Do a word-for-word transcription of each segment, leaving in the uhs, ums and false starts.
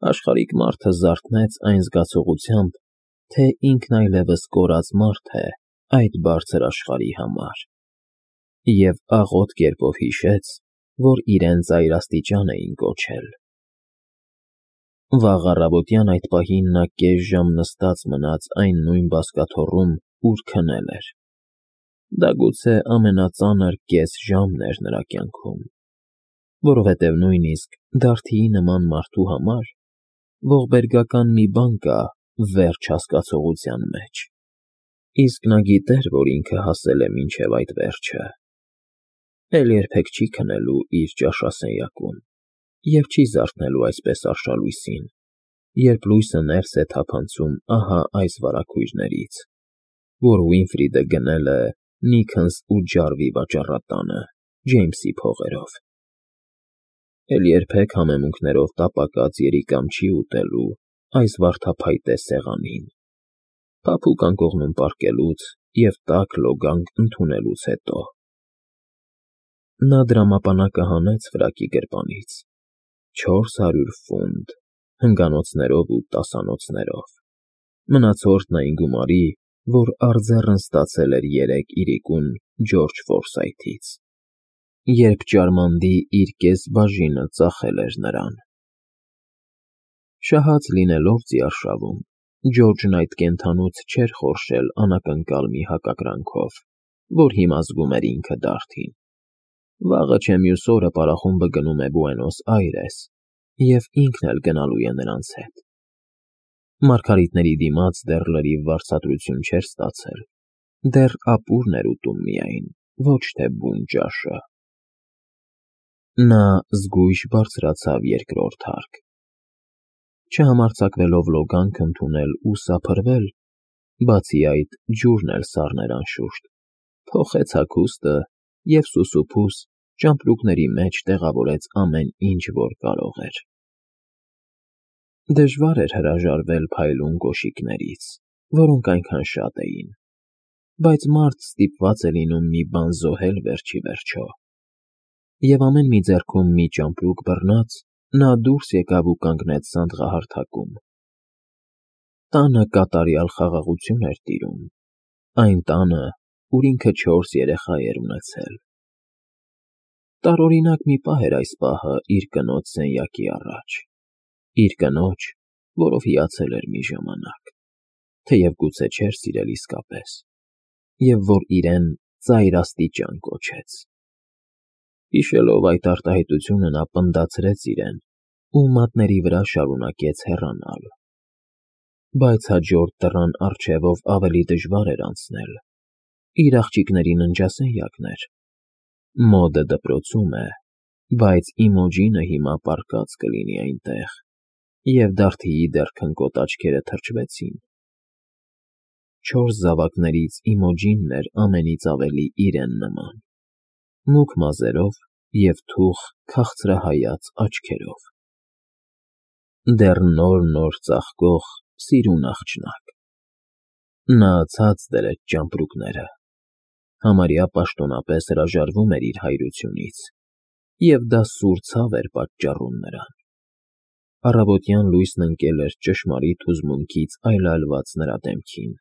Աշխարհիկ մարդը զարթնեց այն զգացողությամբ, թե ինքն այլևս կորած մարդ է այդ բարձր աշխարհի համար, և աղոտ կերպով հիշեց, որ իրեն ծայրաստիճան էին կոչել։ Վաղ առավոտյան այդ պահին նա կես ժամ նստած մնաց այն նույն բազկաթոռում, ուր քնել էր. դա գուցե ամենածանր կես ժամն էր նրա կյանքում, որովհետև նույնիսկ Դարդիի նման մարդու համար ողբերգական մի բան կա վերջ հասկացողության մեջ, իսկ նա գիտեր, որ ինքը հասել է մինչև այդ վերջը, էլ երբեք չի քնելու իր ճաշասենյակում և չի զարթնելու այսպես արշալույսին, երբ լույսը ներս է թափանցում ահա այս վարագույրներից, որ Ուինֆրիդը գնել է Նիքընս ու Ջարվի վաճառատանը Ջեյմսի փողերով, էլ երբեք համեմունքներով տապակած երիկամ չի ուտելու այս վարդափայտե սեղանին, փափուկ անկողնում պառկելուց և տաք լոգանք ընդունելուց հետո։ Նա դրամապանակը հանեց ֆրակի գրպանից. չորս հարյուր ֆունտ հնգանոցներով ու տասանոցներով, մնացորդն այն գումարի, որ առձեռն ստացել էր երեկ իրիկուն Ջորջ Ֆորսայթից, երբ Ճարմանդի իր կես բաժինը ծախել էր նրան։ Շահած լինելով ծիարշավում, Ջորջն այդ կենդանուց չէր խորշել անակնկալ մի հակակրանքով, որ հիմա զգում էր ինքը Դարդին։ Վաղը չէ մյուս օրը պարախումբը գնում է Բուենոս Այրես, և ինքն էլ գնալու է նրանց հետ։ Մարգարիտների դիմաց դեռ լրիվ վարձատրություն չէր ստացել, դեռ ապուրն էր ուտում միայն, ոչ թե բուն ճաշը։ Նա զգույշ բարձրացավ երկրորդ հարկ։ Չհամարձակվելով լոգանք ընդունել ու սափրվել, բացի այդ ջուրն էլ սառն էր անշուշտ, փոխեց հագուստը և սուսուփուս ճամպրուկների մեջ տեղավորեց ամեն ինչ, որ կարող էր։ Դժվար էր հրաժարվել փայլուն կոշիկներից, որոնք այնքան շատ էին, բայց մարդ ստիպված է լինում մի բան զոհել վերջ ի վերջո, և ամեն մի ձեռքում մի ճամպրուկ բռնած՝ նա դուրս եկավ ու կանգնեց սանդղահարթակում։ Տանը կատարյալ խաղաղություն էր տիրում, այն տանը, ուր ինքը չորս երեխա էր ունեցել։ Տարօրինակ մի պահ էր այս պահը իր կնոջ սենյակի առաջ, իր կնոջ, որով հիացել էր մի ժամանակ, թեև գուցե չէր սիրել իսկապես, և որ իրեն ծայրաստիճան կոչեց։ Հիշելով այդ արտահայտությունը նա պնդացրեց իրեն ու մատների վրա շարունակեց հեռանալ։ Բայց հաջորդ դռան առջևով ավելի դժվար էր անցնել, իր աղջիկների ննջասենյակն էր։ Մոդը դպրոցում է, բայց Իմոջինը հիմա պառկած կլինի այնտեղ, և Դարդիի դեռ քնկոտ աչքերը թրջվեցին։ Չորս զավակներից Իմոջինն էր ամենից ավելի իրեն նման, մուգ մազերով և թուխ քաղցրահայաց աչքերով։ Դեռ նոր֊նոր ծաղկող սիրուն աղջնակ։ Նա ցած դրեց ճամպրուկները, համարյա պաշտոնապես հրաժարվում էր իր հայրությունից, և դա սուր ցավ էր պատճառում նրան։ Առավոտյան լույսն ընկել էր ճշմարիտ հուզմունքից այլայլված նրա դեմքին,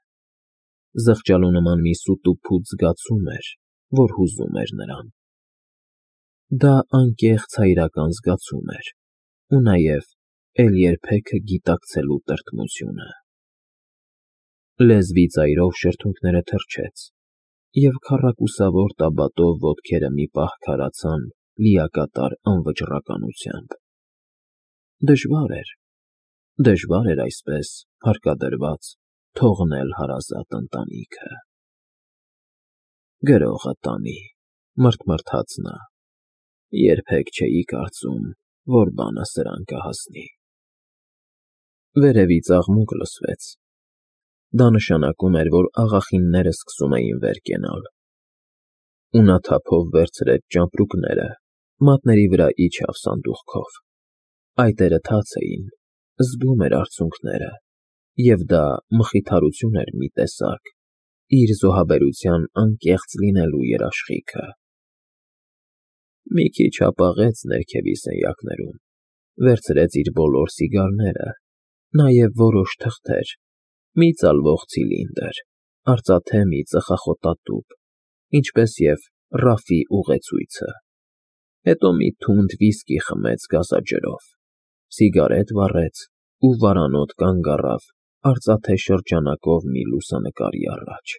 զղջալու նման մի սուտուփուտ զգացում էր, որ հուզում էր նրան։ Դա անկեղծ հայրական զգացում էր ու նաև էլ երբեքը գիտակցելու տրտմությունը։ Լեզվի ծայրով շրթունքները թրջեց, և քառակուսավոր տաբատով ոտքերը մի պահ քարացան լիակատար անվճռականությամբ։ Դժվար էր, դժվար էր այսպես հարկադրված թողնել հարազատ ընտանիքը։ Գրողը տանի, մռթմռթաց նա, երբեք չէի կարծում, որ բանը սրան կհասնի։ Վերևից աղմուկ լսվեց։ Դա նշանակում էր, որ աղախինները սկսում էին վեր կենալ, ու նա թափով վերցրեց ճամպրուկները, մատների վրա իջավ սանդուղքով։ Այտերը թաց էին, զգում էր արցունքները, և դա մխիթարություն էր մի տեսակ, իր զոհաբերության անկեղծ լինելու երաշխիքը։ Մի քիչ հապաղեց ներքևի սենյակներում, վերցրեց իր բոլոր սիգարները, նաև որոշ թղթեր, մի ծալվող ցիլինդր, արծաթե մի ծխախոտատուփ, ինչպես և Ռաֆի ուղեցույցը, հետո մի թունդ վիսկի խմեց գազաջրով, սիգարետ վառեց ու վարանոտ կանգ առավ արծաթե շրջանակով մի լուսանկարի առաջ.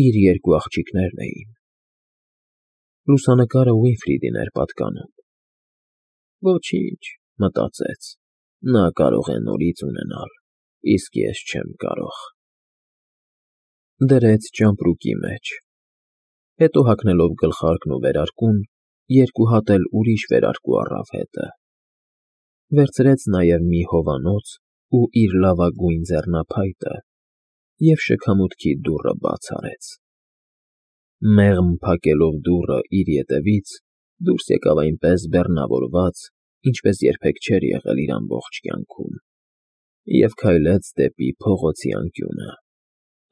իր երկու աղջիկներն էին. լուսանկարը Վիլֆրիդին էր պատկանում։ Ոչինչ, մտածեց, նա կարող է նորից ունենալ, իսկ ես չեմ կարող։ Դրեց ճամպրուկի մեջ, հետո հագնելով գլխարկն ու վերարկուն, երկու հատ էլ ուրիշ վերարկու առավ հետը, վերցրեց նաև մի հովանոց ու իր լավագույն ձեռնափայտը և շքամուտքի դուռը բաց արեց։ Մեղմ փակելով դուռը իր ետևից, դուրս եկավ այնպես բեռնավորված, ինչպես երբեք չէր եղել իր ամբողջ կյանքում, և քայլեց դեպի փողոցի անկյունը,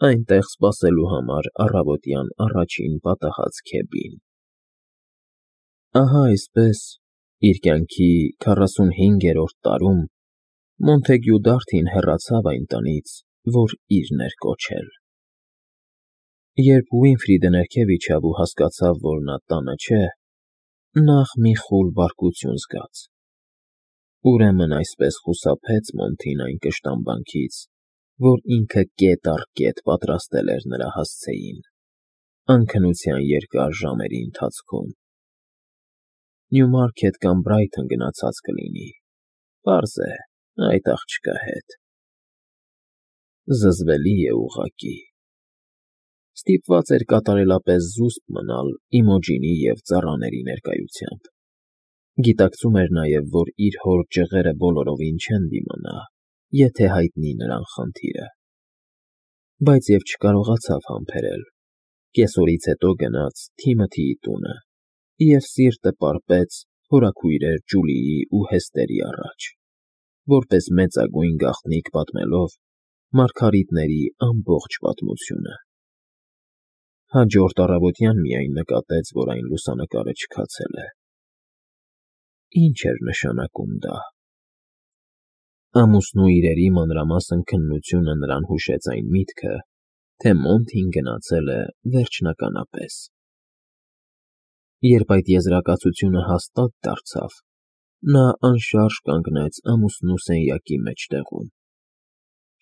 այնտեղ սպասելու համար առավոտյան առաջին պատահած քեբին։ Ահա այսպես, իր կյանքի քառասունհինգերորդ տարում Մոնթեգյու Դարթին հեռացավ այն տնից, որ իրն էր կոչել։ Երբ Վիլֆրիդը ներքև իջավ ու հասկացավ, որ նա տանը չէ, նախ մի խուլ բարկություն զգաց. ուրեմն այսպես խուսափեց Մոնթին այն կշտամբանքից, որ ինքը կետ առ կետ պատրաստել էր նրա հասցեին, անքնության երկար ժամերի ընթացքում։ Նյումարքեթ կամ Բրայթոն գնացած կլինի, պարզ է, այդ աղջկա հետ։ Զզվելի է ուղղակի։ Ստիպված էր կատարելապես զուսպ մնալ Իմոջինի և ծառաների ներկայությամբ։ Գիտակցում էր նաև, որ իր հոր ջղերը բոլորովին չեն դիմանա, եթե հայտնի նրան խնդիրը։ Բայց և չկարողացավ համբերել, կեսօրից հետո գնաց Թիմոթիի տունը և սիրտը պարպեց հորաքույրեր Ջուլիի ու Հեստերի առաջ, որպես մեծագույն գաղտնիք պատմելով Մարգարիտների ամբողջ պատմությունը։ Հաջորդ առավոտյան միայն նկատեց, որ այն լուսանկարը չքացել է։ Ի՞նչ էր նշանակում դա։ Ամուսնու իրերի մանրամասն քննությունը նրան հուշեց այն միտքը, թե Մոնթին գնացել է վերջնականապես։ Երբ այդ եզրակացությունը հաստատ դարձավ, նա անշարժ կանգնեց ամուսնու սենյակի մեջտեղում,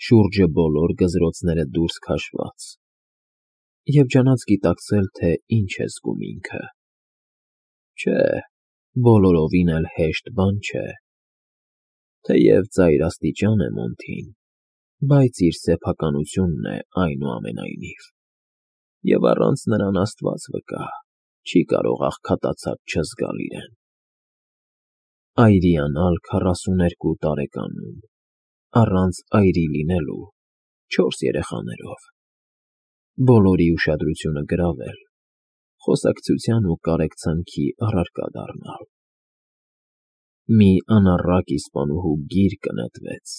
շուրջը բոլոր գզրոցները դուրս քաշված, և ջանաց գիտակցել, թե ինչ է զգում ինքը։ Չէ, բոլորովին էլ հեշտ բան չէ։ Թեև ծայրաստիճան է Մոնթին, բայց իր սեփականությունն է այնուամենայնիվ, և առանց նրան Աստված վկա, չի կարող աղքատացած չզգալ իրեն։ Այրիանալ քառասուներկու տարեկանում, առանց այրի լինելու, չորս երեխաներով, բոլորի ուշադրությունը գրավել, խոսակցության ու կարեկցանքի առարկա դառնալ։ Մի անառակ իսպանուհու գիրկը նետվեց։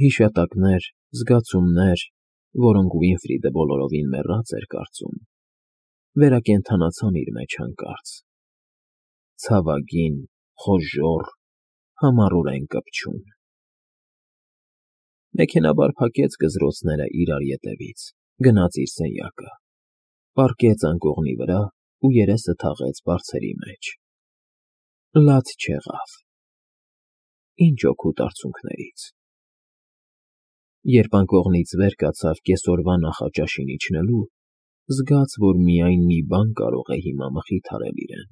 Հիշատակներ, զգացումներ, որոնք Վիլֆրիդը բոլորովին մեռած էր կարծում, վերակենդանացան իր մեջ հանկարծ, ցավագին, խոժոռ, համառորեն կպչուն։ Մեքենայաբար փակեց գզրոցները իրար ետևից, գնաց իր սենյակը, պառկեց անկողնի վրա ու երեսը թաղեց բարձերի մեջ։ Լաց չեղավ։ Ինչ օգուտ արցունքներից։ Երբ անկողնից վեր կացավ կեսօրվա նախաճաշին իջնելու, զգաց, որ միայն մի բան կարող է հիմա մխիթարել իրեն.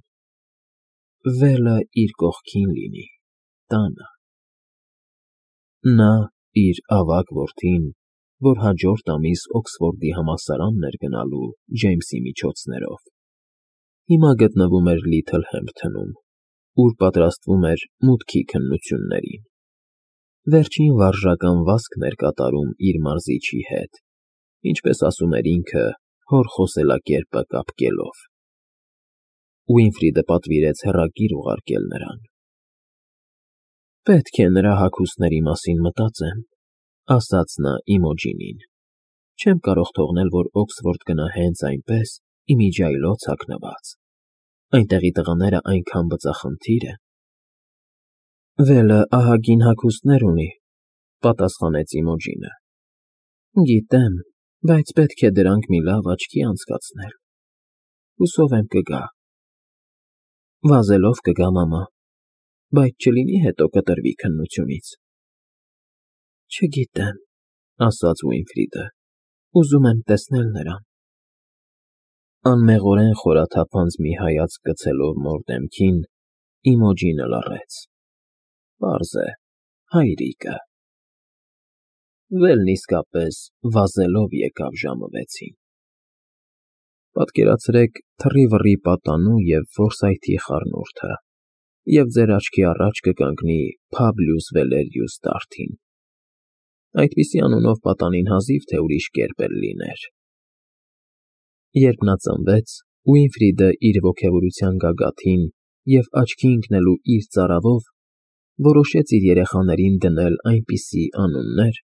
վելը իր կողքին լինի, տանը։ Նա, իր ավագ որդին, որ հաջորդ ամիս Օքսֆորդի համալսարանն էր գնալու Ջեյմսի միջոցներով, հիմա գտնվում էր Լիթլհեմփթոնում, ուր պատրաստվում էր մուտքի քննություններին, վերջին վարժական վազքն էր կատարում իր մարզիչի հետ, ինչպես ասում էր ինքը, հոր խոսելակերպը կապկելով։ Վիլֆրիդը պատվիրեց հեռագիր ուղարկել նրան։ Պետք է նրա հագուստների մասին մտածեմ, ասաց նա Իմոջինին։ Չեմ կարող թողնել, որ Օքսֆորդ գնա հենց այնպես, ի միջիայլոց հագնված։ Այնտեղի տղաները այնքան բծախնդիր են, Վելը ահագին հագուստներ ունի, պատասխանեց Իմոջինը։ Գիտեմ, բայց պետք է դրանք մի լավ աչքի անցկացնել։ Հուսով եմ կգա։ Վազելով կգա, մամա, բայց չլինի հետո կտրվի քննությունից։ Չգիտեմ, ասաց Ուինֆրիդը, ուզում եմ տեսնել նրան։ Անմեղորեն խորաթափանց մի հայացք գցելով մոր դեմքին, Իմոջինը լռեց։ Պարզ է, հայրիկը։ Վելն իսկապես վազելով եկավ ժամը վեցին։ Պատկերացրեք թռիվռի պատանու և որսայթի խառնուրդը, և ձեր աչքի առաջ կկանգնի Փաբլիուս Վալերիուս Դարդին։ Այդպիսի անունով պատանին հազիվ թե ուրիշ կերպ էլ լիներ։ Երբ նա ծնվեց, Ուինֆրիդը իր ոգևորության գագաթին և աչքի ընկնելու իր ծարավով որոշեց իր երեխաներին դնել այնպիսի անուններ,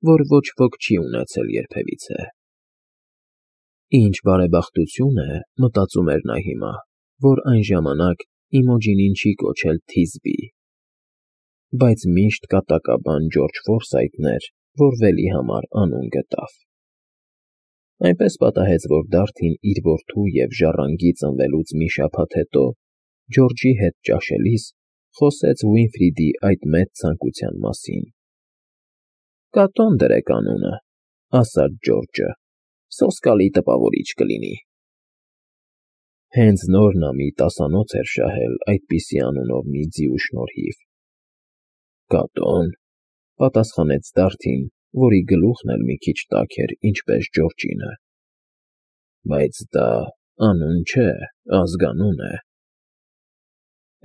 որ ոչ ոք չի ունեցել երբևիցե։ Ինչ բարեբախտություն է, մտածում էր նա հիմա, որ այն ժամանակ Իմոջինին չի կոչել Թիզբի։ Բայց միշտ կատակաբան Ջորջ Ֆորսայթն էր, որ Վելի համար անուն գտավ։ Այնպես պատահեց, որ Դարդին իր որդու և ժառանգի ծնվելուց մի շաբաթ հետո Ջորջի հետ ճաշելիս խոսեց Ուինֆրիդի այդ մեծ ցանկության մասին։ Կատոն դրեք անունը, ասաց Ջորջը, սոսկալի տպավորիչ կլինի։ Հենց նոր նա մի տասանոց էր շահել այդպիսի անունով մի ձիու շնորհիվ։ Կատո՞ն, պատասխանեց Դարդին, որի գլուխն էլ մի քիչ տաք էր, ինչպես Ջորջինը։ Բայց դա անուն չէ, ազգանուն է։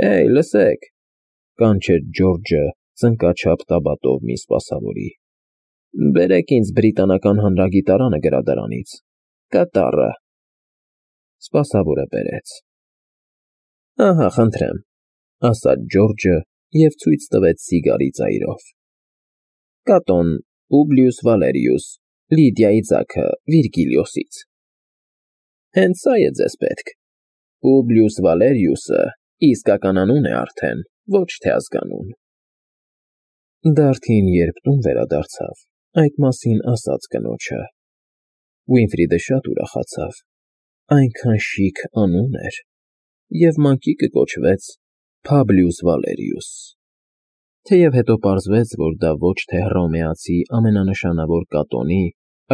Հեյ, լսեք, կանչեց Ջորջը ծնկաչափ տաբատով մի սպասավորի։ Բերեք ինձ բրիտանական հանրագիտարանը գրադարանից, կատառը։ Սպասավորը բերեց։ Ահա, խնդրեմ, ասաց Ջորջը և ցույց տվեց սիգարի ծայրով։ Կատոն Պուբլիուս Վալերիուս, Լիդիայի ձագը Վիրգիլիոսից։ Հենց սա է ձեզ պետք։ Պուբլիուս Վալերիուսը իսկական անուն է արդեն, ոչ թե ազգանուն։ Դարդին երբ տուն վերադարձավ, այդ մասին ասաց կնոջը։ Ուինֆրիդը շատ ուրախացավ, այնքան շիկ անուն էր, և մանկիկը կոչվեց Փաբլիուս Վալերիուս։ Թեև հետո պարզվեց, որ դա ոչ թե հռոմեացի ամենանշանավոր կատոնի,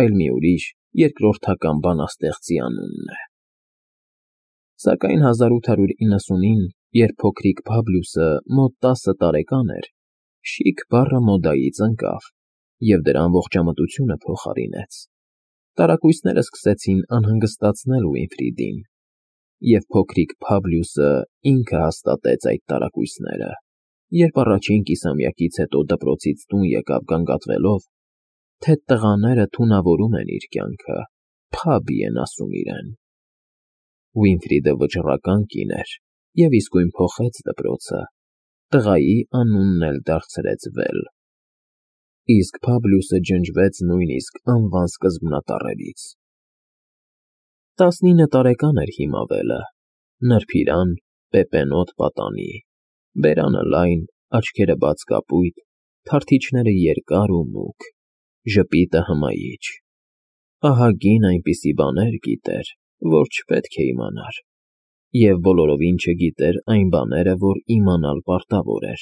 այլ մի ուրիշ, երկրորդական բանաստեղծի անունն է։ Սակայն հազար ութ հարյուր իննսունին, երբ փոքրիկ Փաբլիուսը մոտ տասը տարեկան էր, շիկ բառը մոդայից ընկավ, և դրա ամբողջամտությունը փոխարինեց։ Տարակույսները սկսեցին անհանգստացնել Ուինֆրիդին, և փոքրիկ Փաբլիուսը ինքը հաստատեց այդ տարակույսները, երբ առաջին կիսամյակից հետո դպրոցից տուն եկավ գանգատվելով, թե տղաները թունավորում են իր կյանքը, Փաբի են ասում իրեն։ Ուինֆրիդը վճռական կին էր և իսկույն փոխեց դպրոցը, տղայի անունն էլ դարձրեց Վել։ Իսկ Փաբլիուսը ջնջվեց նույնիսկ անվան սկզբնատառերից։ Տասնինը տարեկան էր հիմա Վելը, նրբիրան, պեպենոտ պատանի, բերանը լայն, աչքերը բաց կապույտ, թարթիչները երկար ու մուգ, ժպիտը հմայիչ։ Ահագին այնպիսի բաներ գիտեր, որ չպետք է իմանար, և բոլորովին չգիտեր այն բաները, որ իմանալ պարտավոր էր։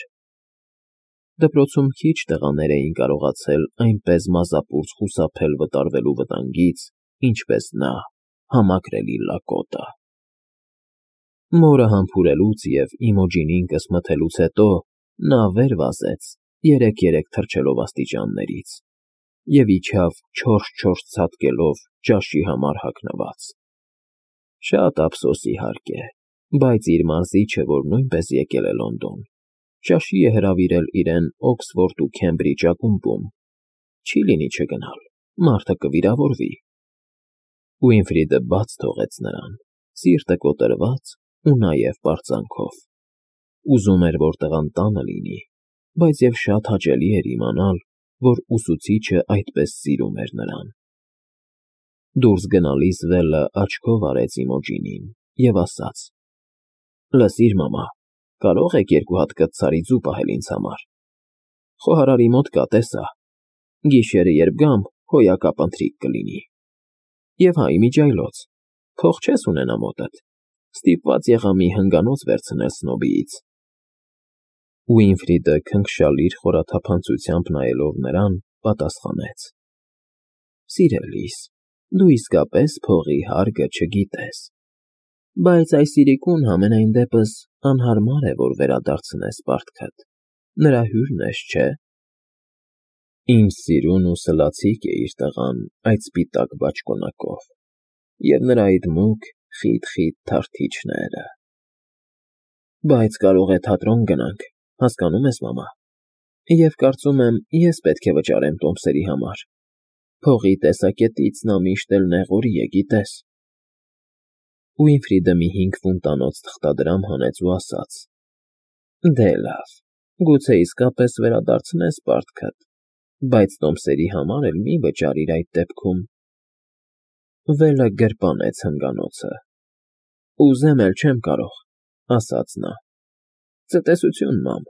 Դպրոցում քիչ տղաներ էին կարողացել այնպես մազապուրծ խուսափել վտարվելու վտանգից, ինչպես նա, համակրելի լակոտը։ Մորը համբուրելուց և Իմոջինին կսմթելուց հետո նա վեր վազեց, երեք֊երեք թռչելով աստիճաններից, և իջավ չորս֊չորս ցատկելով ճաշի համար հագնված։ Շատ ափսոս, իհարկե, բայց իր մարզիչը, որ նույնպես եկել է Լոնդոն, ճաշի է հրավիրել իրեն Օքսֆորդ ու Քեմբրիջ ակումբում, չի լինի չգնալ, մարդը կվիրավորվի։ Ուինֆրիդը բաց թողեց նրան, սիրտը կոտրված ու նաև պարծանքով։ Ուզում էր, որ տղան տանը լինի, բայց և շատ հաճելի էր իմանալ, որ ուսուցիչը այդպես սիրում էր նրան։ Դուրս գնալիս Վելը աչքով արեց Իմոջինին և ասաց. Լսիր, մամա, Կարող եք երկու հատ կծցարի ձու պահել ինձ համար։ Խոհարարի մոտ կա, տեսա։ Գիշերը երբ գամ, հոյակապ ընթրիք կլինի։ Եվ հա, իմիջիայլոց, փող չես ունենա մոտդ, ստիպված եղա մի հնգանոց վերցնել Սնոբիից։ Ուինֆրիդը քնքշալիր խորաթափանցությամբ նայելով նրան, պատասխանեց. Սիրելիս, դու իսկապես փողի հարգը չգիտես, բայց այս իրիկուն համենայն դեպս անհարմար է, որ վերադարձնես պարտքդ, նրա հյուրն ես, չէ՞։ Ինչ սիրուն ու սլացիկ է իր տղան այդ սպիտակ բաճկոնակով, և նրա այդ մուգ, խիտ֊խիտ թարթիչները… Բայց կարող է թատրոն գնանք, հասկանո՞ւմ ես, մամա, և կարծում եմ, ես պետք է վճարեմ տոմսերի համար, փողի տեսակետից նա միշտ էլ նեղորի է, գիտես… Ուինֆրիդը մի հինգ ֆունտանոց թղթադրամ հանեց ու ասաց. Դե լավ, գուցե իսկապես վերադարձնես պարտքդ, բայց տոմսերի համար էլ մի վճարիր այդ դեպքում… Վելը գրպանեց հնգանոցը։ Ուզեմ էլ չեմ կարող, ասաց նա… Ցտեսություն, մամ։